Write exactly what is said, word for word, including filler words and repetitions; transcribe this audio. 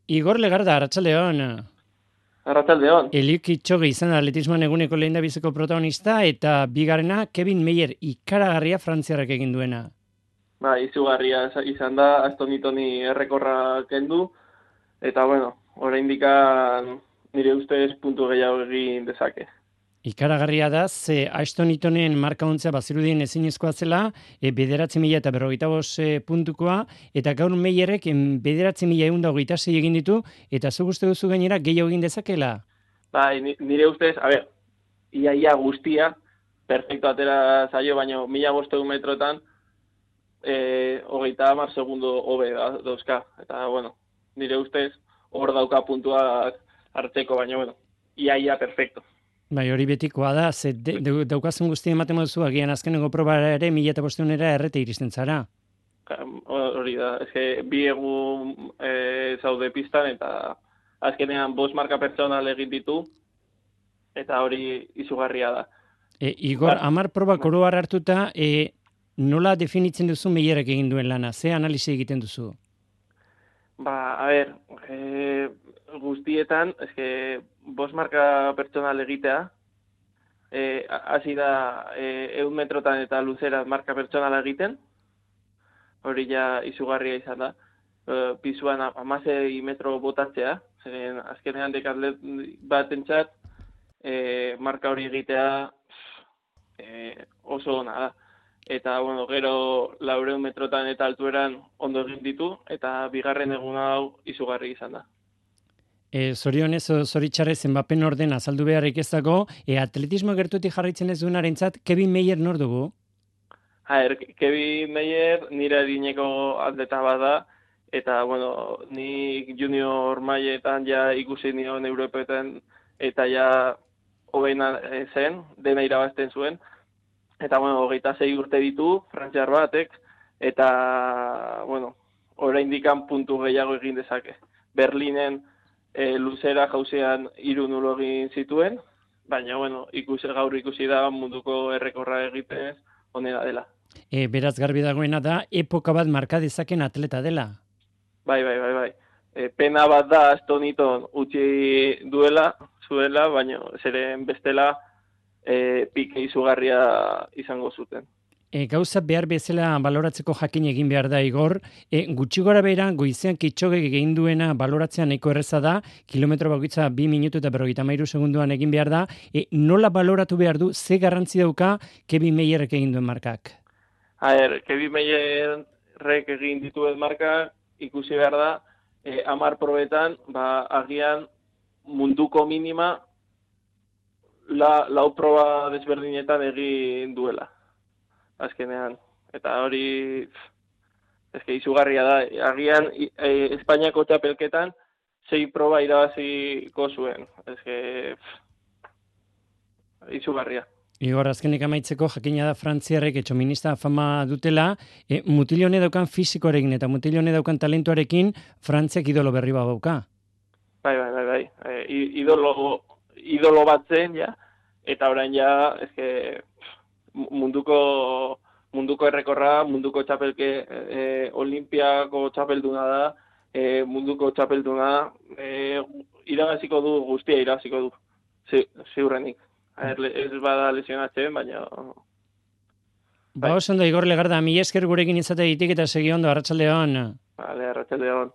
Igor Legarda, Arratsaldeon. Arratsaldeon. Eliud Kipchoge izan da atletismoan eguneko lehendabiziko protagonista eta bigarrena Kevin Meyer ikaragarria frantziarrak egin duena. Ba, izugarria izan da, Astonitoni errekorra kendu, eta bueno, oraindik nire ustez puntu gehiago egin dezake. Ikaragarria da, ze Ashton Itonen marka ontzea bazirudien ezinezkoa zela, e, bederatzi mila eta berrogeita bost e, puntukoa, eta gaur Meyerrek bederatzi mila egun da hogeita sei egin ditu, eta zuk uste duzu gainera gehiago egin dezakela? Bai, nire ustez, a ber, iaia guztia, perfecto atera zaio, baina mila bosteun metrotan, e, hogeita hamar segundo hobe dauzka, eta bueno, nire ustez, hor dauka puntuak hartzeko, baina bueno, iaia perfecto. Bai, hori betikoa da, ze de, de, daukazen guztia ematen duzu, agian azkeneko probara ere, mila eta bosteunera errete iristen zara. Hori da, eske bi egun e, zaude pistan, eta azkenean bost marka pertsonal egin ditu, eta hori izugarria da. E, Igor, ba, amar probak oro har hartuta, e, nola definitzen duzu Meyerrek egin duen lana? Ze analisi egiten duzu? Ba, a ber, e, guztietan, eske, bost marka pertsonal egitea, hasi e, da e, eun metrotan eta luzera marka pertsonala egiten, hori ja izugarria izan da. E, pisuan amasei metro botatzea, zeren azkenean dekatlet bat entzat, e, marka hori egitea e, oso ona da. Eta, bueno, gero laureun metrotan eta altueran ondo egin ditu, eta bigarren egun hau izugarri izan da. E, zorionez, zoritxarrez, zenbapen orden azaldu beharrik ez dago, e, atletismo gertutik jarraitzen ez duenarentzat, Kevin Meyer nor dugu? Haer, Kevin Meyer nire adineko atleta bat da, eta, bueno, nik junior mailetan ja ikusi nion Europetan, eta ja hobeina zen, dena irabazten zuen. Eta, bueno, hogeita sei urte ditu, frantziar batek, eta, bueno, oraindikan puntu gehiago egin dezake. Berlinen e, luzera jauzean hiru nulo egin zituen, baina, bueno, ikusi gaur ikusi da munduko errekorra egiten honena dela. E, beraz garbi dagoena da, epoka bat marka dezaken atleta dela. Bai, bai, bai, bai. E, pena bat da Astoniton utzi duela, zuela, baina zeren bestela, E, pike izugarria izango zuten. E, gauza behar bezala baloratzeko jakin egin behar da, Igor. E, gutxi gora behera, goizean Kipchoge egin duena baloratzea nahiko erreza da, kilometro bakoitza bi minutu eta berrogeita hamairu segunduan egin behar da. E, nola baloratu behar du, ze garrantzi dauka Kevin Meyerrek egin duen markak? Haer, Kevin Meyerrek egin dituen markak ikusi behar da, e, amar probetan, ba, agian munduko minima, La, lau proba desberdinetan egin duela, azkenean. Eta hori, eske izugarria da. Agian, e, Espainiako txapelketan, sei proba irabaziko zuen. Eske, izugarria. Igor, azkenik amaitzeko jakina da Frantziarrek etxominista fama dutela, e, mutilone daukan fizikoarekin eta mutilone daukan talentuarekin Frantziak idolo berri bat dauka. Bai, bai, bai, bai. E, idolo... idolo bat zen, ja, eta orain ja, eske, munduko, munduko errekorra, munduko txapelke, e, olimpiako txapelduna da, e, munduko txapelduna, e, irabaziko du, guztia irabaziko du, ziurrenik. Ez bada lesionatzen, baina... Ba, oso ondo, Igor Legarda, mi esker gurekin izatea ditik eta segi ondo, arratsaldeon. Vale, arratsaldeon.